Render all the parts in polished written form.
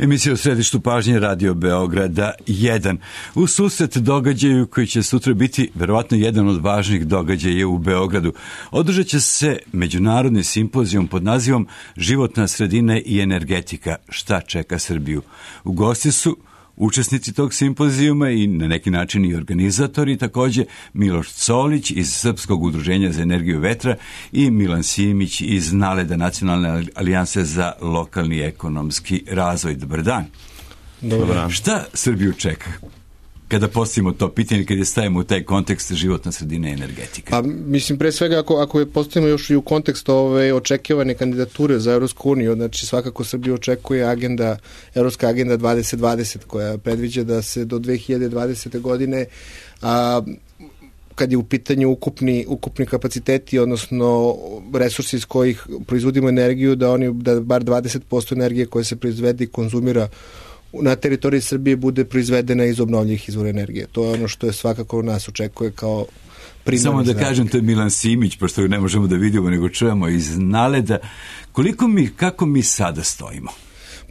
Emisija u središtu pažnje Radio Beograda 1. U susret događaju koji će sutra biti verovatno jedan od važnih događaja u Beogradu. Održat će se međunarodni simpozijum pod nazivom Životna sredina i energetika. Šta čeka Srbiju? U gosti su učesnici tog simpozijuma i na neki način i organizatori, takođe Miloš Solić iz Srpskog udruženja za energiju vetra i Milan Simić iz NALED-a, Nacionalne alijanse za lokalni ekonomski razvoj. Dobar dan. Dobar dan. Šta Srbiju čeka kada postavimo to pitanje, kada je stavimo u taj kontekst životna sredina i energetika? Pa, mislim, pre svega, ako je postavimo još i u kontekst očekivane kandidature za Evropsku uniju, znači svakako Srbiju očekuje Evropska agenda 2020, koja predviđa da se do 2020. godine, kad je u pitanju ukupni kapaciteti, odnosno resursi iz kojih proizvodimo energiju, da bar 20% energije koje se proizvede i konzumira na teritoriji Srbije bude proizvedena iz obnovljivih izvora energije. To je ono što je svakako nas očekuje kao primarni. Samo da kažem, to je Milan Simić, pošto ne možemo da vidimo, nego čujemo iz NALED-a. Kako mi sada stojimo?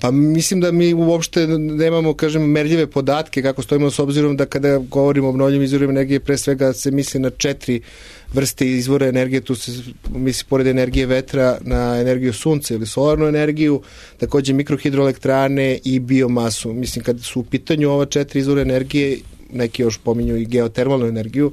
Pa mislim da mi uopšte nemamo, merljive podatke kako stojimo, s obzirom da kada govorimo o obnovljivim izvorima energije, pre svega se misli na 4 vrste izvora energije. Tu se misli pored energije vetra na energiju sunca ili solarnu energiju, takođe mikrohidroelektrane i biomasu. Mislim, kad su u pitanju ova 4 izvora energije, neki još pominju i geotermalnu energiju,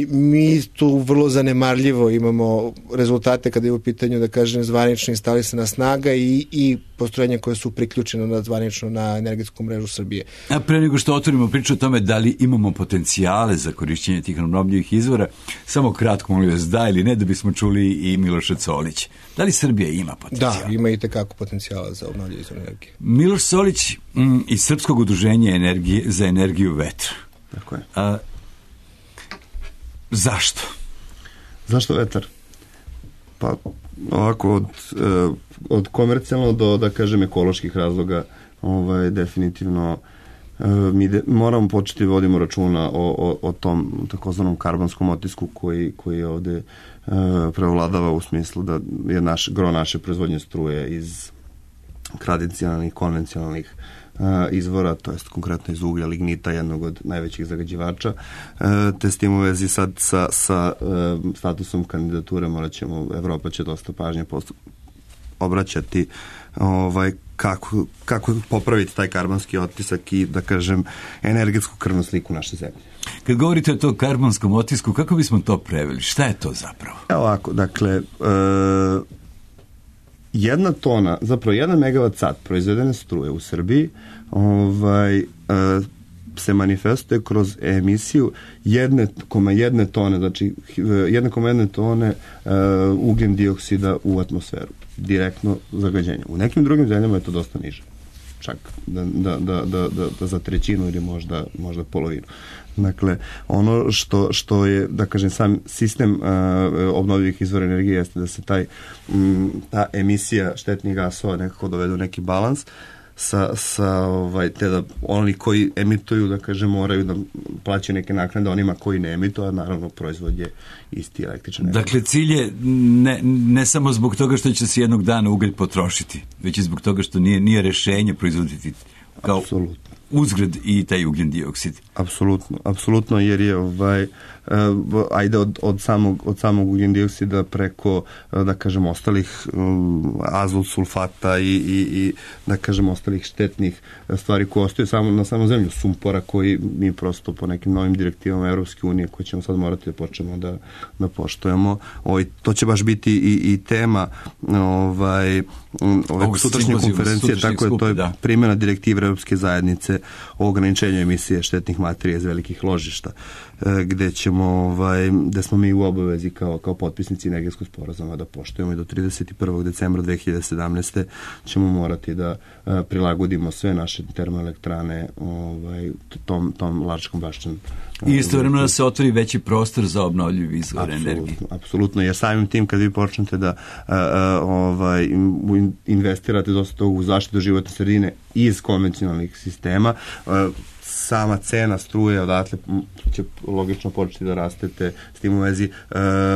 mi tu vrlo zanemarljivo imamo rezultate kada je u pitanju, zvanično instalisana snaga i postrojenja koje su priključene zvanično na energetsku mrežu Srbije. A pre nego što otvorimo priču o tome da li imamo potencijale za korišćenje tih obnovljivih izvora, samo kratko, molim vas, da ili ne, da bismo čuli i Miloša Solić. Da li Srbija ima potencijal? Da, ima i tekako potencijala za obnovljive izvore energije. Miloš Solić iz Srpskog udruženja za energiju vetra. Tako je. Zašto? Zašto vetar? Pa ovako od komercijalno do, da kažem, ekoloških razloga, definitivno mi moramo početi vodimo računa o tom takozvanom karbonskom otisku koji ovde prevladava, u smislu da je gro naše proizvodnje struje iz tradicionalnih, konvencionalnih izvora, to jest konkretno iz uglja, lignita, jednog od najvećih zagađivača. Te s tim u vezi sad sa statusom kandidature Evropa će dosta pažnje obraćati kako popraviti taj karbonski otisak i, da kažem, energetsku krvnu sliku naše zemlje. Kad govorite o tom karbonskom otisku, kako bismo to preveli? Šta je to zapravo? Ovako, dakle, jedna tona, zapravo 1 megavat sat proizvedene struje u Srbiji se manifestuje kroz emisiju 1,1 tone, znači 1,1 tone ugljen dioksida u atmosferu. Direktno zagađenje. U nekim drugim zemljama je to dosta niže. Čak da za trećinu ili možda polovinu. Dakle, ono što je, da kažem, sam sistem obnovljivih izvora energije jeste da se ta emisija štetnih gasova nekako dovede u neki balans te da oni koji emituju, da kažem, moraju da plaćaju neke naknade onima koji ne emituju, a naravno proizvod je isti električan energije. Dakle, cilj je ne samo zbog toga što će se jednog dana ugalj potrošiti, već i zbog toga što nije rešenje proizvoditi kao uzgred i taj ugljen dioksid. Apsolutno, jer je ajde od samog ugljen dioksida preko, da kažem, ostalih azot, sulfata i da kažem ostalih štetnih stvari koje ostaju na samom zemlju, sumpora, koji mi prosto po nekim novim direktivama Evropske unije koje ćemo sad morati da počnemo da poštujemo. To će baš biti i tema ove sutrašnje konferencije, tako je, to je primjena direktive Evropske zajednice o ograničenju emisije štetnih materija iz velikih ložišta, gde smo mi u obavezi kao potpisnici energetskog sporazuma da poštujemo i do 31. decembra 2017. ćemo morati da prilagodimo sve naše termoelektrane tom Lačkom bašćanom. I istovremeno da se otvori veći prostor za obnovljivi izvor energije. Apsolutno, jer samim tim kad vi počnete da investirate dosta toga u zaštitu životne sredine iz konvencionalnih sistema, sama cena struje odatle će logično početi da rastete, s tim u vezi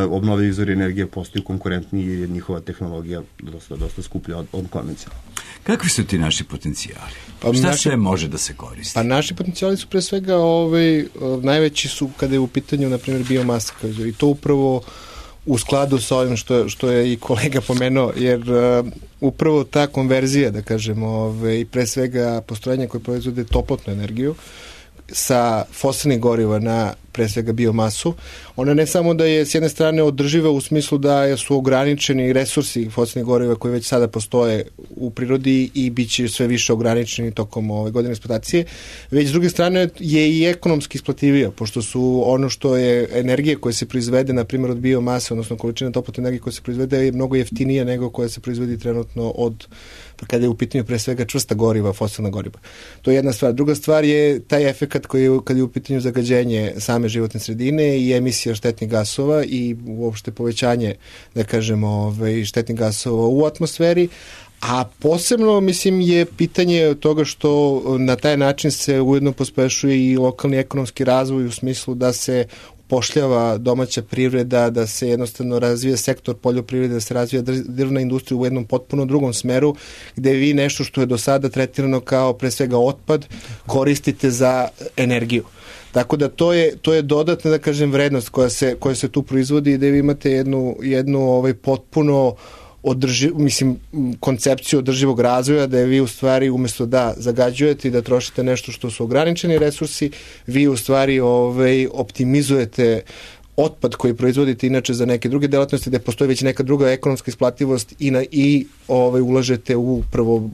obnovljivi izvori energije postaju konkurentniji jer je njihova tehnologija dosta skuplja od konvencionalne. Kakvi su ti naši potencijali? Šta sve može da se koristi? Pa naši potencijali su pre svega najveći su kada je u pitanju, na primjer, biomasa, i to upravo u skladu sa ovim što je i kolega pomenuo, jer upravo ta konverzija, da kažemo, i pre svega postrojenja koje proizvode toplotnu energiju sa fosilnih goriva na pre svega biomasu, ona ne samo da je s jedne strane održiva u smislu da su ograničeni resursi fosilnih goriva koji već sada postoje u prirodi i bit će sve više ograničeni tokom ove godine eksploatacije, već s druge strane je i ekonomski isplativija, pošto su ono što je energija koja se proizvede, na primjer od biomase, odnosno količina toplotne energije koja se proizvede je mnogo jeftinija nego koja se proizvodi trenutno od, kada je u pitanju pre svega čvrsta goriva, fosilna goriva. To je jedna stvar. Druga stvar je taj efekat koji je, kad je u pitanju zagađenje same životne sredine i emisija štetnih gasova i uopšte povećanje, da kažemo, štetnih gasova u atmosferi, a posebno, mislim, je pitanje toga što na taj način se ujedno pospešuje i lokalni ekonomski razvoj u smislu da se upošljava domaća privreda, da se jednostavno razvija sektor poljoprivrede, da se razvija drvna industrija u jednom potpuno drugom smeru, gde vi nešto što je do sada tretirano kao pre svega otpad koristite za energiju. Tako da to je dodatna, da kažem, vrednost koja se tu proizvodi i da vi imate jednu potpuno koncepciju održivog razvoja, da je vi u stvari umjesto da zagađujete i da trošite nešto što su ograničeni resursi, vi u stvari optimizujete otpad koji proizvodite inače za neke druge delatnosti, da postoji već neka druga ekonomska isplativost i ulažete u prvo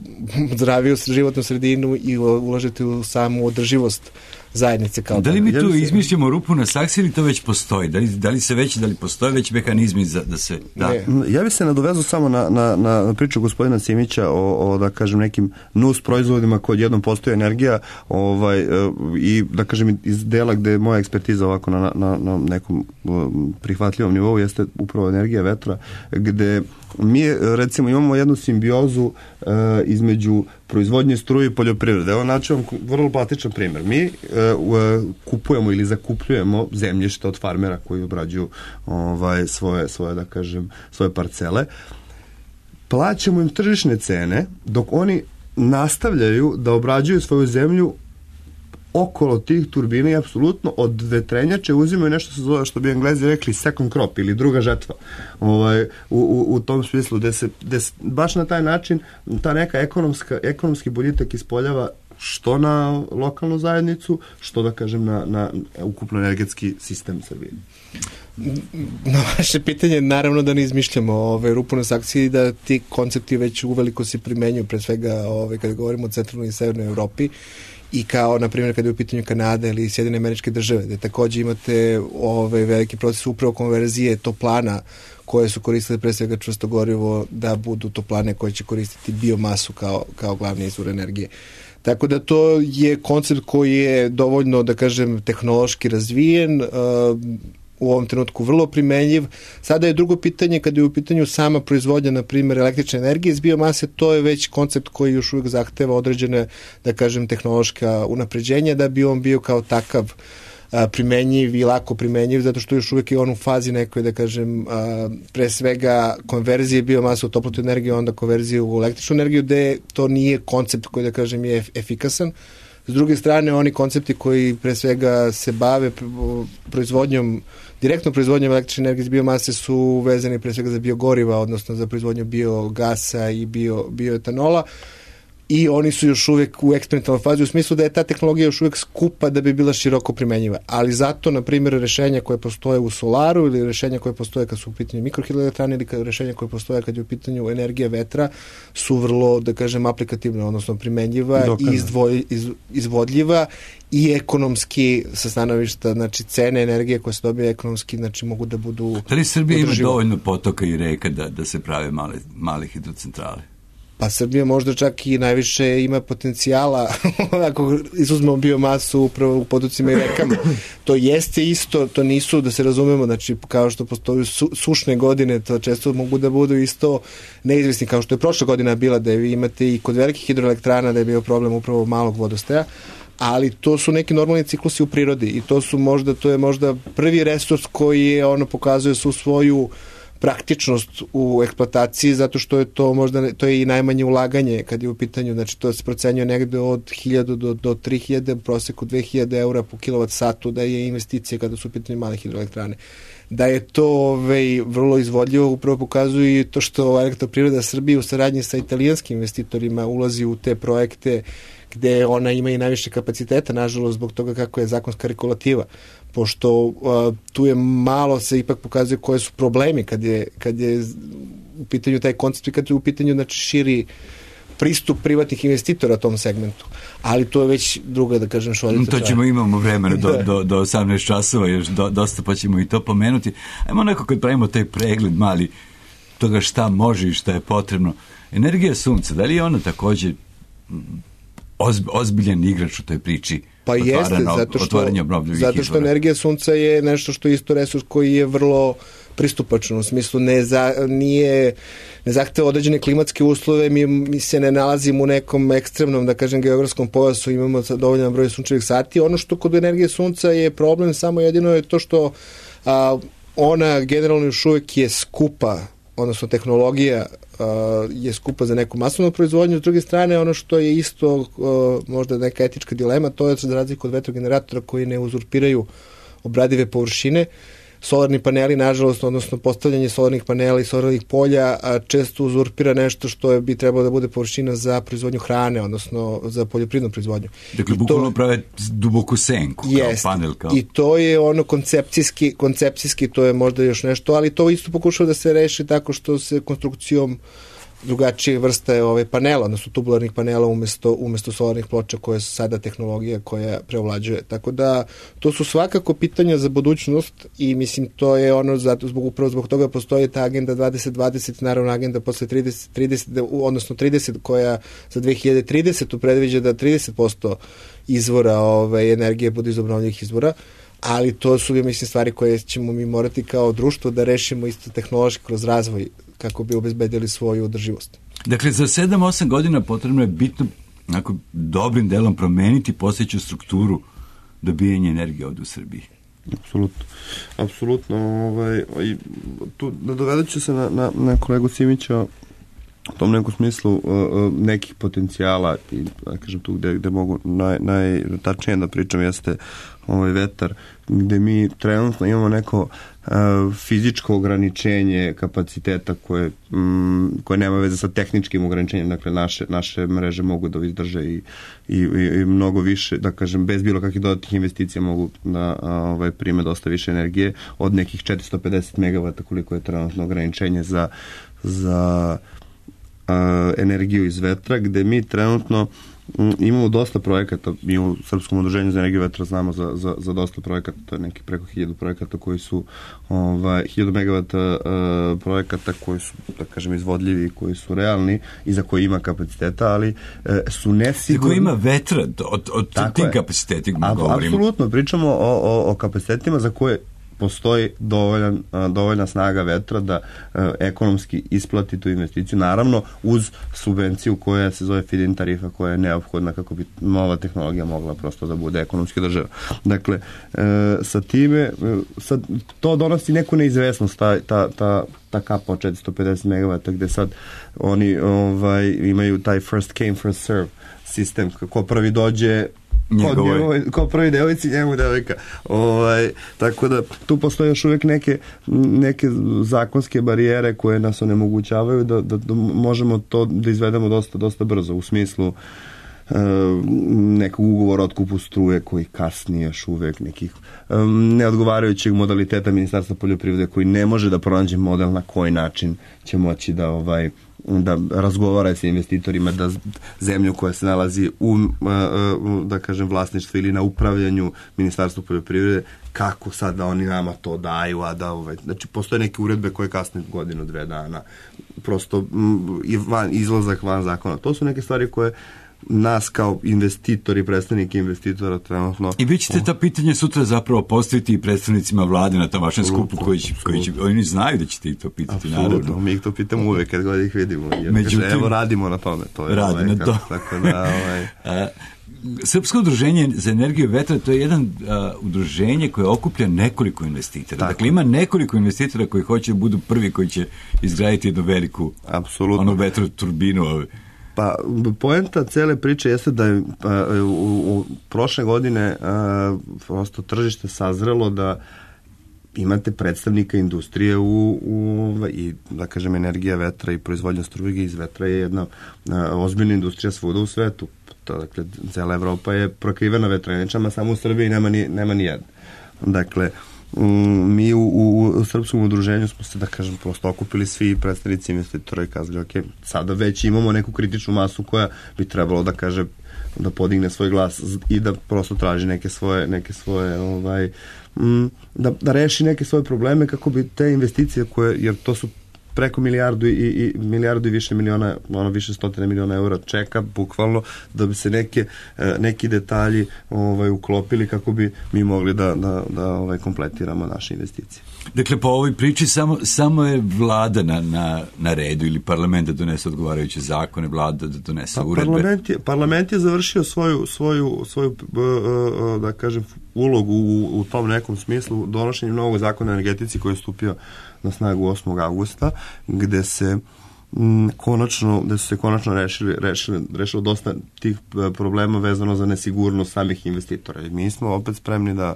zdraviju životnu sredinu i ulažete u samu održivost zajednice. Da li mi tu izmišljamo rupu na saksiji ili to već postoji? Da li postoje već mehanizmi da se... Da? Ja bih se nadovezao samo na priču gospodina Simića o da kažem nekim nus proizvodima koji jednom postoji energija i da kažem iz dela gde je moja ekspertiza ovako na nekom prihvatljivom nivou jeste upravo energija vetra, gde mi recimo imamo jednu simbiozu između proizvodnje struje i poljoprivrede. Evo naći vam vrlo plastičan primjer. Mi kupujemo ili zakupljujemo zemljište od farmera koji obrađuju svoje da kažem svoje parcele. Plaćamo im tržišne cene dok oni nastavljaju da obrađuju svoju zemlju okolo tih turbina i apsolutno od vetrenjače uzimaju nešto se zove, što bi Englezi rekli, second crop ili druga žetva. U tom smislu gde se baš na taj način ta neka ekonomski boljitak ispoljava što na lokalnu zajednicu, što da kažem na ukupno energetski sistem Srbije. Na vaše pitanje, naravno da ne izmišljamo rupu na saksiji, da ti koncepti već uveliko se primenjuju, pre svega kada govorimo o centralnoj i severnoj Evropi, i kao, na primjer, kada je u pitanju Kanada ili Sjedinjene Američke Države, gde takođe imate veliki proces upravo konverzije toplana koje su koristile pre svega čvrsto gorivo da budu toplane koje će koristiti biomasu kao glavni izvor energije. Tako da to je koncept koji je dovoljno, da kažem, tehnološki razvijen, u ovom trenutku vrlo primenjiv. Sada je drugo pitanje, kada je u pitanju sama proizvodnja, na primjer, električne energije iz biomase, to je već koncept koji još uvijek zahteva određene, da kažem, tehnološka unapređenja da bi on bio kao takav primenjiv i lako primenjiv, zato što još uvijek je on u fazi nekoj, da kažem, pre svega konverzije biomasa u toplotnu energiju, onda konverzije u električnu energiju, gde to nije koncept koji, da kažem, je efikasan. S druge strane, oni koncepti koji pre svega se bave direktnom proizvodnjom električne energije iz biomase su vezani pre svega za biogoriva, odnosno za proizvodnju biogasa i bioetanola, i oni su još uvijek u eksperimentalnoj fazi u smislu da je ta tehnologija još uvijek skupa da bi bila široko primenjiva. Ali zato, na primjer, rešenja koje postoje u solaru ili rešenja koje postoje kad su u pitanju mikrohidroelektrane ili rešenja koje postoje kad je u pitanju energija vetra su vrlo, da kažem, aplikativna, odnosno primenjiva i izvodljiva i ekonomski sa stanovišta, znači cene energije koje se dobije ekonomski, znači mogu da budu... Da li Srbija ima dovoljno potoka i reka da se prave male hidrocentrale? Pa Srbija možda čak i najviše ima potencijala ako izuzmemo biomasu upravo u poducima i rekama. To jeste isto, to nisu, da se razumemo, znači kao što postoju sušne godine, to često mogu da budu isto neizvesni, kao što je prošla godina bila, da vi imate i kod velikih hidroelektrana da je bio problem upravo malog vodostaja, ali to su neki normalni ciklusi u prirodi i to je možda prvi resurs koji pokazuje svu svoju praktičnost u eksploataciji, zato što je to možda, to je i najmanje ulaganje kad je u pitanju, znači to se procenjuje negde od 1000 do 3000, proseku 2000 eura po kilovat satu da je investicija kada su u pitanju male hidroelektrane. Da je to vrlo izvodljivo, upravo pokazuje i to što Elektroprivreda Srbije u saradnji sa italijanskim investitorima ulazi u te projekte gde ona ima i najviše kapaciteta, nažalost, zbog toga kako je zakonska regulativa, pošto tu je malo se ipak pokazuje koje su problemi kad je u pitanju taj koncept i kad je u pitanju znači, širi pristup privatnih investitora tom segmentu. Ali to je već druga, da kažem, šoljica. To ćemo, imamo vremena do 18 časova, još dosta pa ćemo i to pomenuti. Ajmo neko kad pravimo taj pregled mali toga šta može i šta je potrebno. Energija sunca, da li je ona takođe ozbiljan igrač u toj priči? Pa jeste, zato što energija sunca je nešto što je isto resurs koji je vrlo pristupačan, u smislu ne zahteva određene klimatske uslove, mi se ne nalazimo u nekom ekstremnom, da kažem, geografskom pojasu, imamo dovoljan broj sunčevih sati. Ono što kod energije sunca je problem samo jedino je to što ona generalno još uvijek je skupa, odnosno tehnologija je skupa za neku masovnu proizvodnju. S druge strane, ono što je isto možda neka etička dilema, to je za razliku od vetrogeneratora koji ne uzurpiraju obradive površine. Solarni paneli, nažalost, odnosno postavljanje solarnih panela i solarnih polja često uzurpira nešto što bi trebalo da bude površina za proizvodnju hrane, odnosno za poljoprivrednu proizvodnju. Dakle, bukvalno prave duboku senku kao panel. I to je ono koncepcijski, to je možda još nešto, ali to isto pokušava da se reši tako što se konstrukcijom drugačije vrste panela, odnosno tubularnih panela umesto solarnih ploča koje su sada tehnologija koja preovlađuje. Tako da to su svakako pitanja za budućnost i mislim to je ono upravo zbog toga postoji ta agenda 2020, naravno agenda posle 30 koja za 2030 predviđa da 30% izvora energije bude iz obnovljivih izvora, ali to su, mislim, stvari koje ćemo mi morati kao društvo da rešimo isto tehnološki kroz razvoj kako bi obezbedili svoju održivost. Dakle, za 7-8 godina potrebno je bitno dobrim delom promeniti postojeću strukturu dobijanja energije ovde u Srbiji. Apsolutno. Tu dovedat ću se na kolegu Simića u tom nekom smislu nekih potencijala i da kažem tu gde mogu najtačnije da pričam jeste vetar, gde mi trenutno imamo neko fizičko ograničenje kapaciteta koje nema veze sa tehničkim ograničenjem, dakle naše mreže mogu da izdrže i mnogo više, da kažem, bez bilo kakvih dodatnih investicija mogu da prime dosta više energije od nekih 450 megavata koliko je trenutno ograničenje za energiju iz vetra, gde mi trenutno imamo dosta projekata, mi u Srpskom udruženju za energiju vetra znamo za dosta projekata, to je neki preko 1000 projekata koji su 1000 megavata projekata koji su, da kažem, izvodljivi, koji su realni i za koji ima kapaciteta, ali su nesigurni. Za koji ima vetra, od tim kapacitetima govorimo. Apsolutno, pričamo o kapacitetima za koje postoji dovoljna snaga vetra da ekonomski isplati tu investiciju, naravno uz subvenciju koja se zove feed-in tarifa, koja je neophodna kako bi nova tehnologija mogla prosto da bude ekonomski održiva. Dakle, sa time to donosi neku neizvesnost, ta kapa od 450 megavata gde sad oni imaju taj first came, first serve sistem, ko prvi dođe ko prvi devojci, njemu devojka. Tako da tu postoje još uvijek neke zakonske barijere koje nas onemogućavaju da možemo to da izvedemo dosta brzo, u smislu nekog ugovora o otkupu struje koji kasnije još uvijek, nekih neodgovarajućeg modaliteta Ministarstva poljoprivrede koji ne može da pronađe model na koji način će moći da razgovara sa investitorima, da zemlju koja se nalazi u, da kažem, vlasništvu ili na upravljanju Ministarstva poljoprivrede kako sad da oni nama to daju, a da znači postoje neke uredbe koje kasne godinu, 2 dana, prosto izlazak van zakona. To su neke stvari koje nas kao investitori, predstavniki investitora trenutno... I vi ćete ta pitanja sutra zapravo postaviti i predstavnicima vlade na tom vašem skupu koji će, oni znaju da ćete ih to pitati, naravno. Apsolutno, mi ih to pitamo uvek kad god ih vidimo. Međutim, evo, radimo na tome. To je radi na to. Tako da, Srpsko udruženje za energiju vetra, to je jedan udruženje koje okuplja nekoliko investitora. Tako. Dakle, ima nekoliko investitora koji hoće da budu prvi koji će izgraditi jednu veliku vetroturbinu. Pa, poenta cele priče jeste da je u prošle godine prosto tržište sazrelo da imate predstavnika industrije i da kažem energija vetra i proizvodnja struje iz vetra je jedna ozbiljna industrija svuda u svetu. Dakle, cela Evropa je prokrivena vetrenjačama, samo u Srbiji nema ni jedna. Dakle, mi u srpskom udruženju smo se, da kažem, prosto okupili svi predstavnici investitora i kazali, ok, sada već imamo neku kritičnu masu koja bi trebalo da kaže, da podigne svoj glas i da prosto traži neke svoje da reši neke svoje probleme kako bi te investicije koje, jer to su preko milijardu i više miliona, više stotine miliona eura čeka, bukvalno, da bi se neki detalji uklopili kako bi mi mogli da kompletiramo naše investicije. Dakle, po ovoj priči samo je vlada na redu ili parlament da donese odgovarajuće zakone, vlada da donese uredbe? Parlament je završio svoju da kažem, ulogu u tom nekom smislu donošenjem novog zakona o energetici koji je stupio na snagu 8. augusta, gde se konačno rešilo dosta tih problema vezano za nesigurnost samih investitora. I mi smo opet spremni da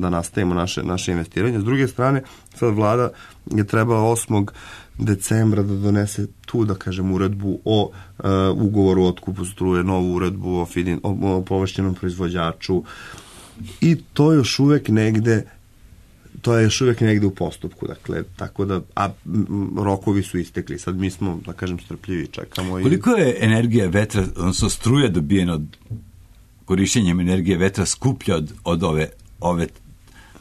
nastavimo naše investiranje. S druge strane, sad vlada je trebala 8. decembra da donese tu, da kažem, uredbu o ugovoru o otkupu struje, novu uredbu o povlašćenom proizvođaču, i to je još uvek negde u postupku, dakle, tako da, rokovi su istekli, sad mi smo, da kažem, strpljivi, čekamo. Koliko je energija vetra, odnosno struja dobijena od korišćenjem energije vetra skuplja od ove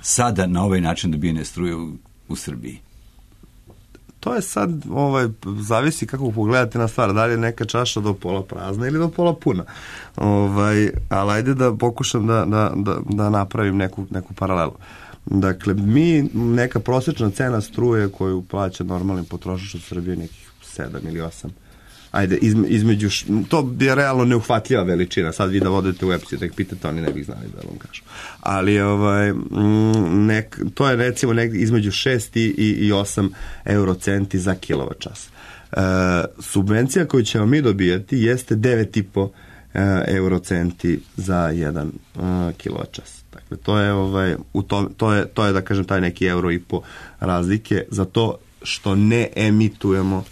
sada na ovaj način dobijene struje u Srbiji? To je sad, zavisi kako pogledate na stvar, da li je neka čaša do pola prazna ili do pola puna. Ali ajde da pokušam da napravim neku paralelu. Dakle, neka prosječna cena struje koju plaća normalni potrošač u Srbiji nekih 7 ili 8. Ajde, između, to je realno neuhvatljiva veličina. Sad vi da vodite u website, da ih pitate, oni ne bih znali da vam kažu. Ali to je recimo negdje između 6 i 8 eurocenti za kilovačas. Subvencija koju ćemo mi dobijati jeste 9,5 eurocenti za 1 kilovačas. Dakle, to je da kažem taj neki €1,5 razlike za to što ne emitujemo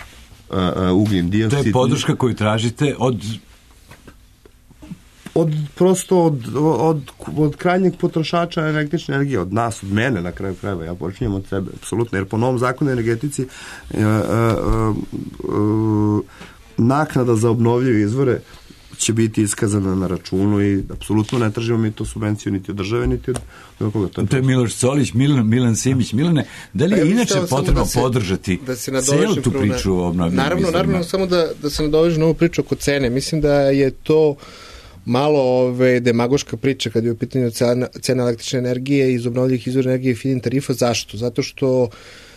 ugljen dioksid. To je podrška koju tražite od krajnjeg potrošača električne energije, od nas, od mene na kraju krajeva, ja počinjem od sebe, apsolutno, jer po novom zakonu o energetici naknada za obnovljive izvore će biti iskazana na računu i apsolutno ne tražimo mi to subvenciju niti od države, niti od koga. To je Miloš Solić, Milan Simić. Milane, da li je inače potrebno podržati celu tu priču o obnovljivim izvorima? Naravno, samo da se nadovežem na ovu priču oko cene. Mislim da je to malo demagoška priča kad je u pitanju cena električne energije iz obnovljivih izvora energije i feed-in tarifa. Zašto? Zato što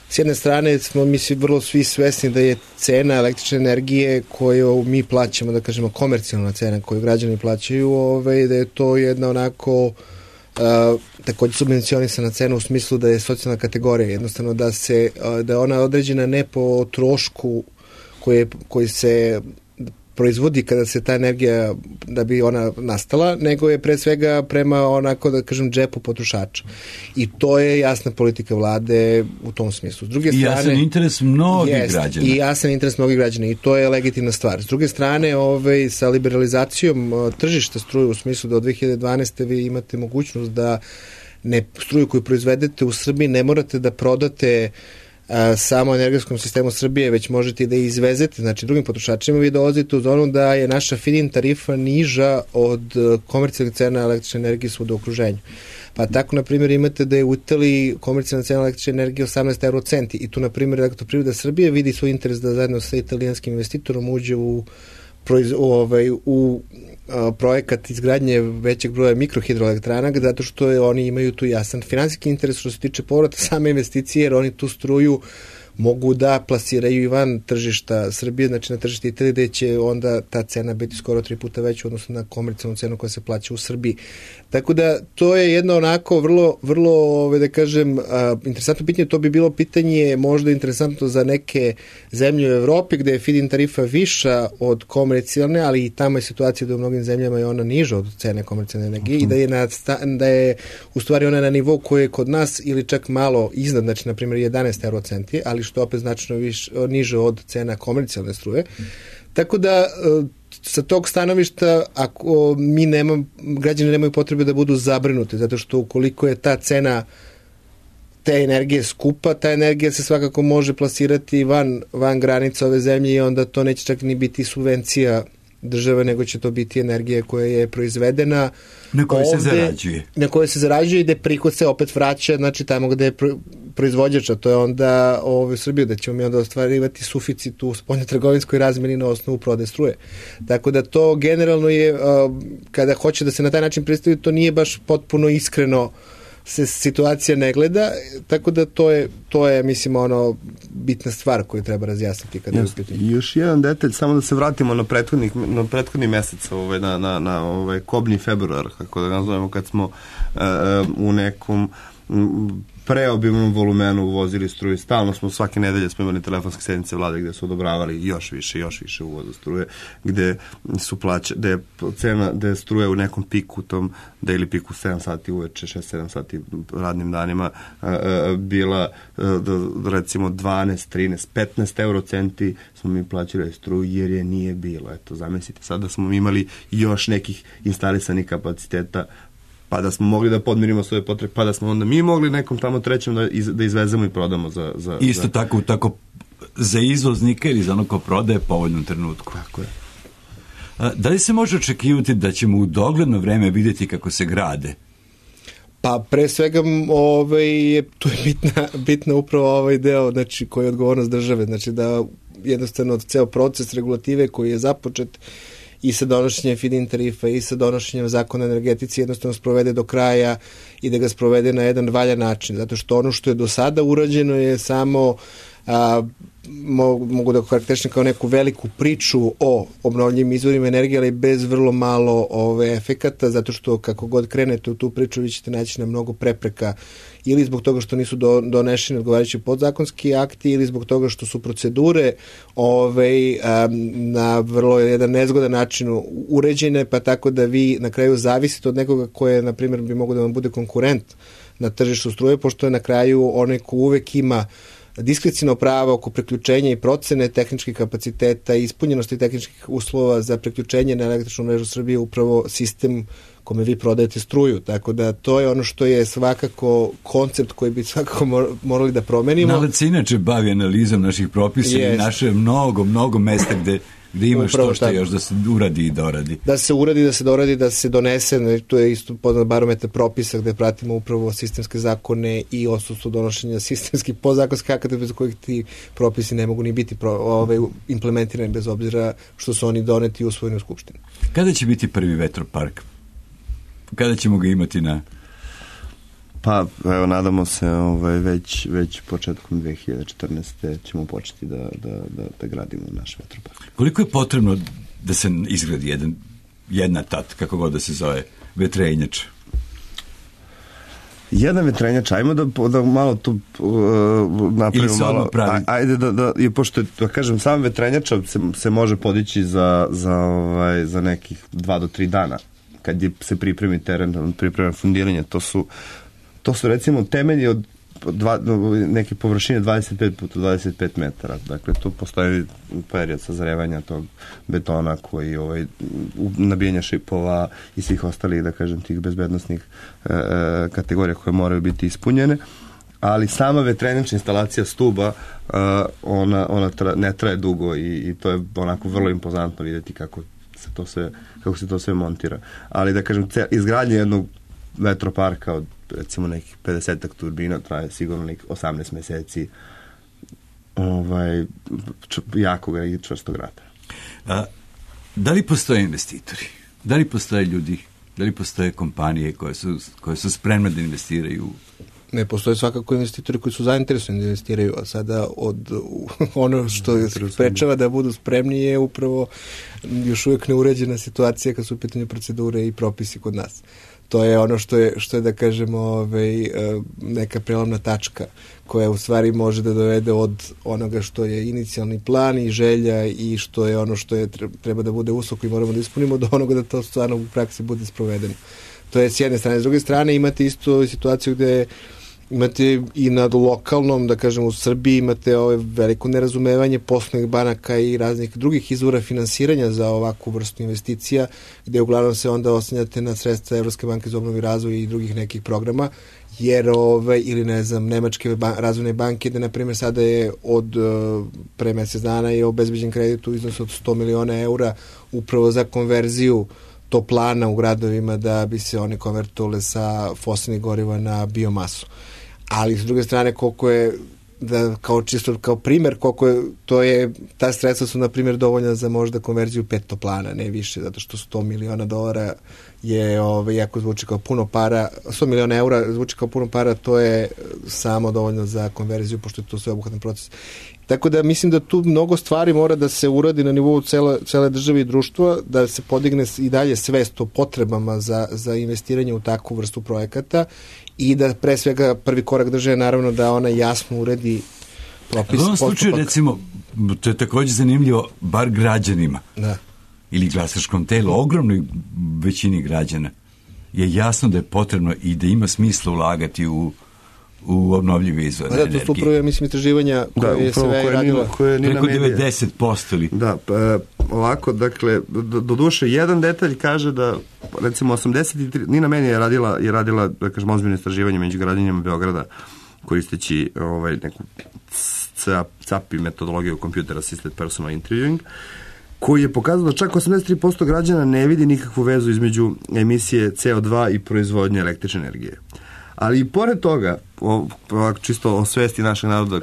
s jedne strane smo vrlo svi svesni da je cena električne energije koju mi plaćamo, da kažemo komercijalna cena koju građani plaćaju, da je to jedna onako takođe subvencionisana cena u smislu da je socijalna kategorija, jednostavno da je ona određena ne po trošku koji se proizvodi kada se ta energija, da bi ona nastala, nego je pre svega prema onako, da kažem, džepu potrošača. I to je jasna politika vlade u tom smislu. S druge strane, jasan interes mnogih građana. I jasan interes mnogih građana i to je legitimna stvar. S druge strane, sa liberalizacijom tržišta struje u smislu da od 2012. vi imate mogućnost da struju koju proizvedete u Srbiji ne morate da prodate samo energetskom sistemu Srbije, već možete i da izvezete, znači drugim potrošačima, vi dolazite u zonu da je naša feed-in tarifa niža od komercijalnih cena električne energije svuda u okruženju. Pa tako, na primjer, imate da je u Italiji komercijalna cena električne energije 18 eurocenti i tu, na primjer, Elektroprivreda Srbije vidi svoj interes da zajedno sa italijanskim investitorom uđe u projekat izgradnje većeg broja mikrohidroelektrana, zato što oni imaju tu jasan finansijski interes što se tiče povrata same investicije, jer oni tu struju mogu da plasiraju i van tržišta Srbije, znači na tržište Italije, gde će onda ta cena biti skoro 3 puta veća odnosno na komercijalnu cenu koja se plaća u Srbiji. Tako da to je jedno onako vrlo da kažem, interesantno pitanje. To bi bilo pitanje možda interesantno za neke zemlje u Evropi gde je feed-in tarifa viša od komercijalne, ali i tamo je situacija da u mnogim zemljama je ona niža od cene komercijalne energije i da je u stvari ona na nivou koji je kod nas ili čak malo iznad, znači na primjer 11 eurocenti, ali što opet značno niže od cena komercijalne struje. Tako da sa tog stanovišta, ako građani nemaju potrebe da budu zabrinuti, zato što ukoliko je ta cena te energije skupa, ta energija se svakako može plasirati van granica ove zemlje i onda to neće čak ni biti subvencija države, nego će to biti energija koja je proizvedena na kojoj se zarađuje. Na kojoj se zarađuje i gde prihod se opet vraća, znači tamo gde je proizvođača, to je onda u Srbiji, da ćemo mi onda ostvarivati suficit u spoljnotrgovinskoj razmeni na osnovu prodaje struje. Tako da to generalno je, kada hoće da se na taj način predstavi, to nije baš potpuno iskreno se situacija ne gleda, tako da to je mislim bitna stvar koju treba razjasniti kada je uspjeti. Još jedan detalj, samo da se vratimo na prethodni mesec, na kobni februar, kako da nazovemo, kad smo u nekom preobimnom volumenu uvozili struju. Stalno smo, svake nedelje smo imali telefonske sednice vlade gde su odobravali još više uvoza struje, gde su gde je struje u nekom piku tom, da ili piku 7 sati uveče, 6-7 sati radnim danima bila recimo 12, 13, 15 eurocenti smo mi plaćali struju jer je nije bilo. Eto, zamislite, sada smo imali još nekih instalisanih kapaciteta, pa da smo mogli da podmirimo svoje potrebe, pa da smo onda mi mogli nekom tamo trećem da izvezemo i prodamo za isto tako za izvoznike ili za ono ko prodaje povoljnom trenutku. Tako je. Da li se može očekivati da ćemo u dogledno vreme vidjeti kako se grade? Pa pre svega tu je bitna upravo ovaj deo, znači koji je odgovornost države, znači da jednostavno ceo proces regulative koji je započet i sa donošenjem feed-in tarifa i sa donošenjem zakona o energetici jednostavno sprovede do kraja i da ga sprovede na jedan valjan način. Zato što ono što je do sada urađeno je samo, mogu da karakterišem kao neku veliku priču o obnovljivim izvorima energije, ali bez vrlo malo efekata, zato što kako god krenete u tu priču vi ćete naći na mnogo prepreka ili zbog toga što nisu donešeni odgovarajući podzakonski akti ili zbog toga što su procedure na vrlo jedan nezgodan način uređene, pa tako da vi na kraju zavisite od nekoga koje, na primjer, bi mogo da vam bude konkurent na tržištu struje, pošto je na kraju onaj ko uvek ima diskrecijno pravo oko priključenja i procene tehničkih kapaciteta i ispunjenosti tehničkih uslova za priključenje na električnu mrežu Srbije upravo sistem kome vi prodajete struju. Tako da to je ono što je svakako koncept koji bi svakako morali da promenimo. Nalac se inače bavi analizom naših propisa i naše mnogo mesta gde ima što još da se uradi i doradi. Da se uradi, da se doradi, da se donese, to je isto poznat barometar propisa gde pratimo upravo sistemske zakone i odsustvo donošenja sistemskih podzakonskih akata bez kojih ti propisi ne mogu ni biti implementirani bez obzira što su oni doneti i usvojeni u Skupštini. Kada će biti prvi vetropark? Kada ćemo ga imati na... Pa, evo, nadamo se već početkom 2014. ćemo početi da gradimo naš vetropark. Koliko je potrebno da se izgradi jedna kako god da se zove, vetrenjač? Jedan vetrenjač, ajmo da malo tu napravimo malo. Ajde pošto da kažem, sam vetrenjač se može podići za nekih 2 do 3 dana kad se pripremi teren, pripremi fundiranje. To su recimo temelji od neke površine 25 puta 25 metara. Dakle, tu postoji period sazrevanja tog betona koji nabijanja šipova i svih ostalih, da kažem, tih bezbednosnih kategorija koje moraju biti ispunjene. ali sama vetrenična instalacija stuba ona ne traje dugo i to je onako vrlo impozantno vidjeti kako se to sve montira. Ali da kažem, izgradnja jednog vetroparka od recimo nekih 50 turbina traje sigurno nekih 18 meseci, jako ga i čvrsto grada. Da li postoje investitori? Da li postoje ljudi? Da li postoje kompanije koje su spremne da investiraju? Ne, postoje svakako investitori koji su zainteresovani da investiraju, a sada ono što sprečava da budu spremni je upravo još uvijek neuređena situacija kad su u pitanju procedure i propisi kod nas. To je ono što je da kažemo neka prelomna tačka koja u stvari može da dovede od onoga što je inicijalni plan i želja i što je ono što je treba da bude uslov koji moramo da ispunimo do onoga da to stvarno u praksi bude sprovedeno. To je s jedne strane. S druge strane imate isto situaciju gde imate i na lokalnom, da kažem u Srbiji, imate veliko nerazumevanje poslovnih banaka i raznih drugih izvora finansiranja za ovakvu vrstu investicija, gde uglavnom se onda oslanjate na sredstva Evropske banke za obnovu i razvoj i drugih nekih programa, jer ili ne znam, Nemačke razvojne banke, da na primjer sada je od pre mesec dana je obezbeđen kredit u iznosu od 100 miliona eura upravo za konverziju toplana u gradovima da bi se one konvertovale sa fosilnih goriva na biomasu. Ali s druge strane koliko je kao primer koliko je ta sredstva su na primjer dovoljna za možda konverziju 5 toplana, ne više, zato što 100 miliona dolara je jako zvuči kao puno para, 100 miliona eura zvuči kao puno para, to je samo dovoljno za konverziju pošto je to sveobuhvatan proces. Tako da mislim da tu mnogo stvari mora da se uradi na nivou cele države i društva, da se podigne i dalje svest o potrebama za investiranje u takvu vrstu projekata i da pre svega prvi korak države naravno da ona jasno uredi propis. U ovom slučaju recimo, to je također zanimljivo, bar građanima ili glasačkom telu, ogromnoj većini građana je jasno da je potrebno i da ima smisla ulagati u obnovljive izvore energije. To su upravo, mislim, istraživanja koje je sve radila. Preko 90% li? Da, ovako, dakle, do duše, jedan detalj kaže da, recimo, 83, Nina Meni je radila, da kažem, ozbiljno istraživanje među građanima Beograda, koristeći neku CAPI metodologiju Computer Assisted Personal Interviewing, koji je pokazao da čak 83% građana ne vidi nikakvu vezu između emisije CO2 i proizvodnje električne energije. Ali i pored toga, čisto o svesti našeg naroda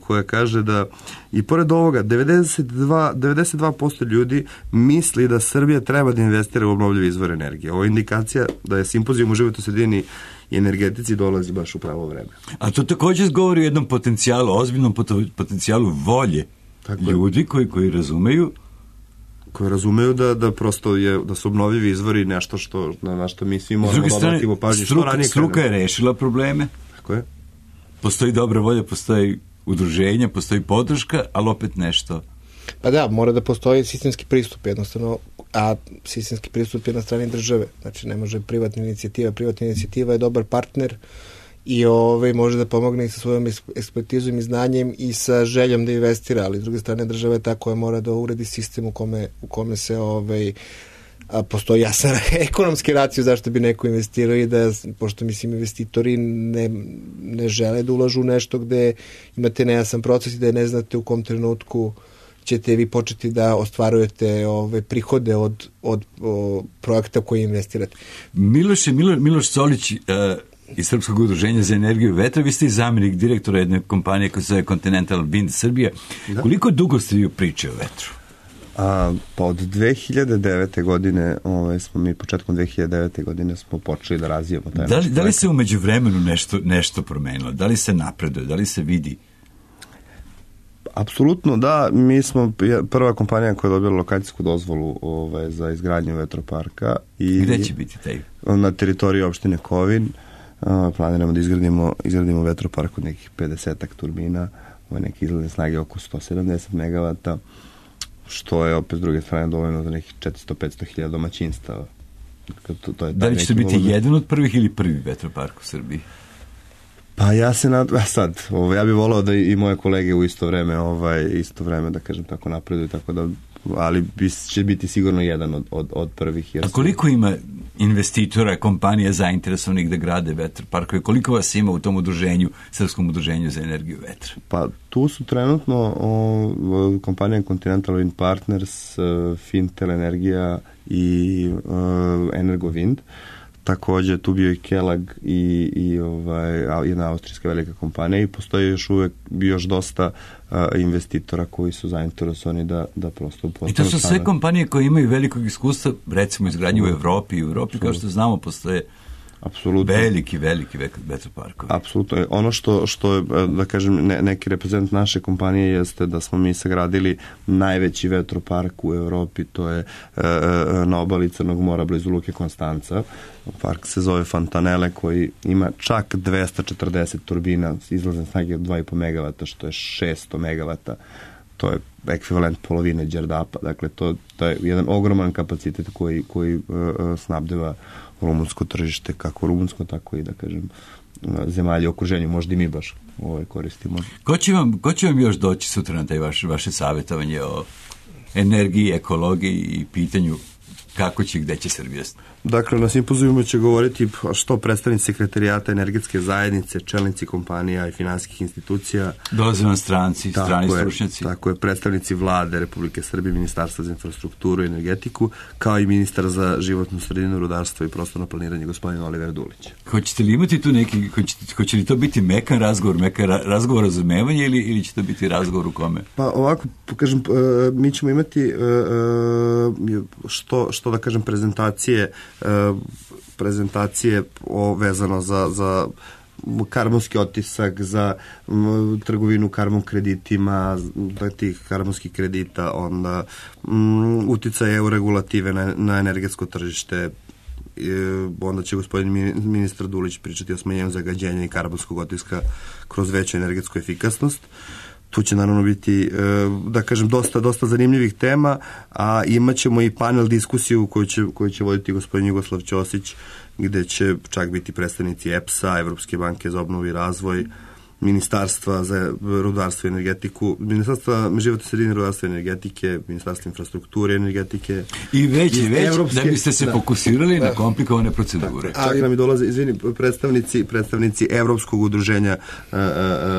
koja kaže da i pored ovoga 92% ljudi misli da Srbija treba da investira u obnovljive izvore energije. Ovo je indikacija da je simpozijum u životnoj sredini i energetici dolazi baš u pravo vreme. A to također govori o jednom potencijalu, ozbiljnom potencijalu volje ljudi koji razumeju da prosto da su obnovljivi izvori nešto na što mi svi moramo obratimo pažnju. Struka je rešila probleme. Tako je. Postoji dobra volja, postoji udruženja, postoji podrška, ali opet nešto. Pa da, mora da postoji sistemski pristup jednostavno, a sistemski pristup je na strani države. Znači ne može privatna inicijativa je dobar partner i može da pomogne i sa svojom ekspertizom i znanjem i sa željom da investira, ali s druge strane država je ta koja mora da uredi sistem u kome se postoji jasan ekonomski racio zašto bi neko investirao i da, pošto mislim investitori ne žele da ulažu u nešto gde imate nejasan proces i da ne znate u kom trenutku ćete vi početi da ostvarujete prihode od projekta koji investirate. Miloš Solić iz Srpskog udruženja za energiju vetra, vi ste i zamjenik direktora jedne kompanije koja se zove Continental Wind Srbija. Da. Koliko dugo ste vi priče o vetru? Pa od 2009. godine, smo mi početkom 2009. godine smo počeli da razvijamo taj naš Da li se u međuvremenu nešto promenilo? Da li se napreduje? Da li se vidi? Apsolutno da, mi smo prva kompanija koja je dobila lokacijsku dozvolu za izgradnju vetroparka. Gde će biti taj? Na teritoriji opštine Kovin. Planiramo da izgradimo vetropark od nekih 50 turbina, neke izgledne snage oko 170 MW, što je opet s druge strane dovoljno za nekih 400-500 hiljada domaćinstava. Da li ćete biti jedan od prvih ili prvi vetropark u Srbiji? Pa ja se sad, ja bih volao da i moje kolege u isto vreme, da kažem tako, napreduju, tako da, ali će biti sigurno jedan od prvih. A koliko ima investitora, kompanija zainteresovanih da grade vetroparkove? Koliko vas ima u tom udruženju, Srpskom udruženju za energiju vetra? Pa tu su trenutno kompanija Continental Wind Partners, Fintel Energija i Energowind. Takođe tu bio i Kelag i jedna austrijska velika kompanija i postoji još dosta investitora koji su zainteresovani da prosto postanu. I to su sve kompanije koje imaju velikog iskustva, recimo izgradnje u Evropi. I u Evropi, kao što znamo, postoje veliki vetroparkovi. Apsolutno. Ono što je, da kažem, neki reprezent naše kompanije jeste da smo mi sagradili najveći vetropark u Evropi, to je na obali Crnog mora blizu Luke Konstanca. Park se zove Fontanele, koji ima čak 240 turbina izlazne snage od 2,5 megavata, što je 600 megavata. To je ekvivalent polovine Đerdapa. Dakle, to je jedan ogroman kapacitet koji snabdeva rumunsko tržište, kako rumunsko, tako i, da kažem, zemalje u okruženju. Možda i mi baš koristimo. Ko će vam još doći sutra na taj vaše savjetovanje o energiji, ekologiji i pitanju kako će i gde će Srbija? Dakle, na simpozijumu će govoriti što predstavnici sekretarijata energetske zajednice, čelnici kompanija i finansijskih institucija. Dolaze vam stranci, strani stručnjaci. Tako je, predstavnici vlade Republike Srbije, Ministarstva za infrastrukturu i energetiku, kao i ministar za životnu sredinu, rudarstvo i prostorno planiranje, gospodin Oliver Dulić. Hoćete li imati tu neki, hoće li to biti mekan razgovor razumevanja ili će to biti razgovor u kome? Pa ovako, kažem, mi ćemo imati što da kažem, prezentacije vezano za karbonski otisak, za trgovinu karbon kreditima, tih karbonskih kredita, onda uticaj EU regulative na energetsko tržište, onda će gospodin ministar Dulić pričati o smanjenju zagađenja i karbonskog otiska kroz veću energetsku efikasnost. Tu će naravno biti, da kažem, dosta zanimljivih tema, a imat ćemo i panel diskusiju koju će voditi gospodin Jugoslav Ćosić, gde će čak biti predstavnici EPS-a, Evropske banke za obnovu i razvoj, Ministarstva za rudarstvo i energetiku, Ministarstva životne sredine, rudarstva i energetike, Ministarstva infrastrukture i energetike. I već da biste se fokusirali na komplikovane procedure. Čak nam i dolaze, predstavnici Evropskog udruženja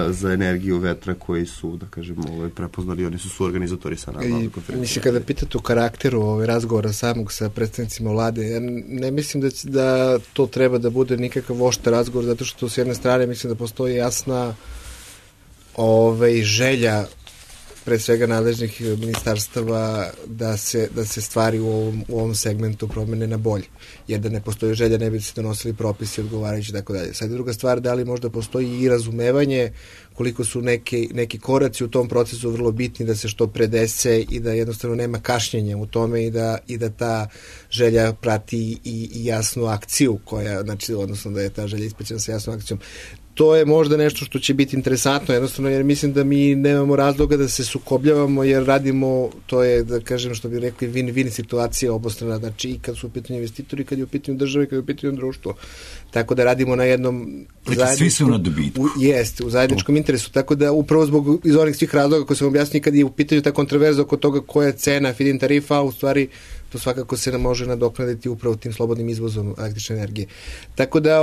za energiju vetra, koji su, da kažem, prepoznali, oni su organizatori sa nama konferencije. Mislim, kada pitate o karakteru razgovora samog sa predstavnicima vlade, ja ne mislim da to treba da bude nikakav oštar razgovor, zato što s jedne strane mislim da postoji jasna želja pre svega nadležnih ministarstava da se stvari u ovom segmentu promene na bolje. Jer da ne postoji želja, ne bi se donosili propisi odgovarajući, tako dalje. Sad je druga stvar, da li možda postoji i razumevanje koliko su neki koraci u tom procesu vrlo bitni da se što pre dese i da jednostavno nema kašnjenja u tome i da ta želja prati i jasnu akciju koja, znači, odnosno da je ta želja ispraćena sa jasnom akcijom. To je možda nešto što će biti interesantno, jednostavno, jer mislim da mi nemamo razloga da se sukobljavamo, jer radimo, to je, da kažem, što bi rekli, win-win situacija obostrana, znači i kad su u pitanju investitori, kad je u pitanju države, kad je u pitanju društvo. Tako da radimo na jednom svi su na dobitku. Jeste, u zajedničkom interesu, tako da upravo zbog iz onih svih razloga koje sam objasnio, kad je u pitanju ta kontroverza oko toga koja je cena feed-in tarifa, u stvari to svakako se nam može nadoknaditi upravo tim slobodnim izvozom električne energije. Tako da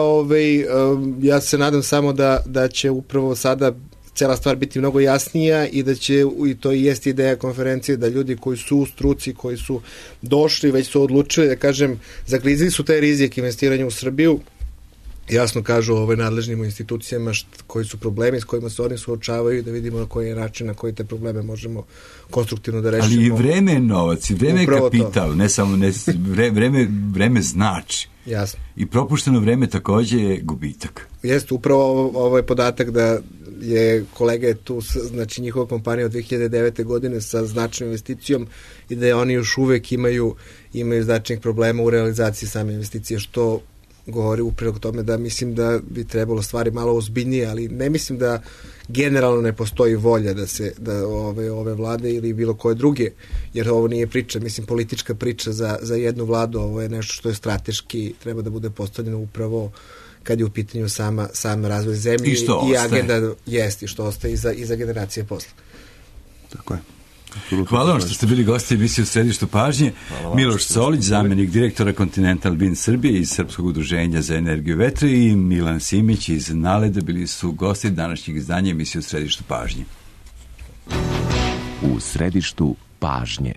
ja se nadam samo da će upravo sada cela stvar biti mnogo jasnija i da će, i to i jeste ideja konferencije, da ljudi koji su u struci, koji su došli, već su odlučili, da kažem, zaklizili su taj rizik investiranja u Srbiju, jasno kažu nadležnim institucijama koji su problemi s kojima se oni suočavaju, da vidimo na koji način, na koji te probleme možemo konstruktivno da rešimo. Ali i vreme je novac, i vreme je kapital, ne samo vreme znači. Jasno. I propušteno vreme takođe je gubitak. Jeste, upravo ovaj podatak da je kolega tu, znači njihova kompanija od 2009. godine sa značajnom investicijom i da oni još uvek imaju značajnih problema u realizaciji same investicije, što govori upravo tome da mislim da bi trebalo stvari malo ozbiljnije, ali ne mislim da generalno ne postoji volja da ove vlade ili bilo koje druge, jer ovo nije priča, mislim, politička priča za jednu vladu, ovo je nešto što je strateški, treba da bude postavljeno upravo kad je u pitanju sam razvoj zemlje i agenda jest i što ostaje i za generacije posle. Tako je. Hvala vam što ste bili gosti emisije u Središtu pažnje. Miloš Solić, zamjenik direktora Continental Bin Srbije iz Srpskog udruženja za energiju vetra, i Milan Simić iz Naleda bili su gosti današnjeg izdanja emisije u Središtu pažnje. U Središtu pažnje.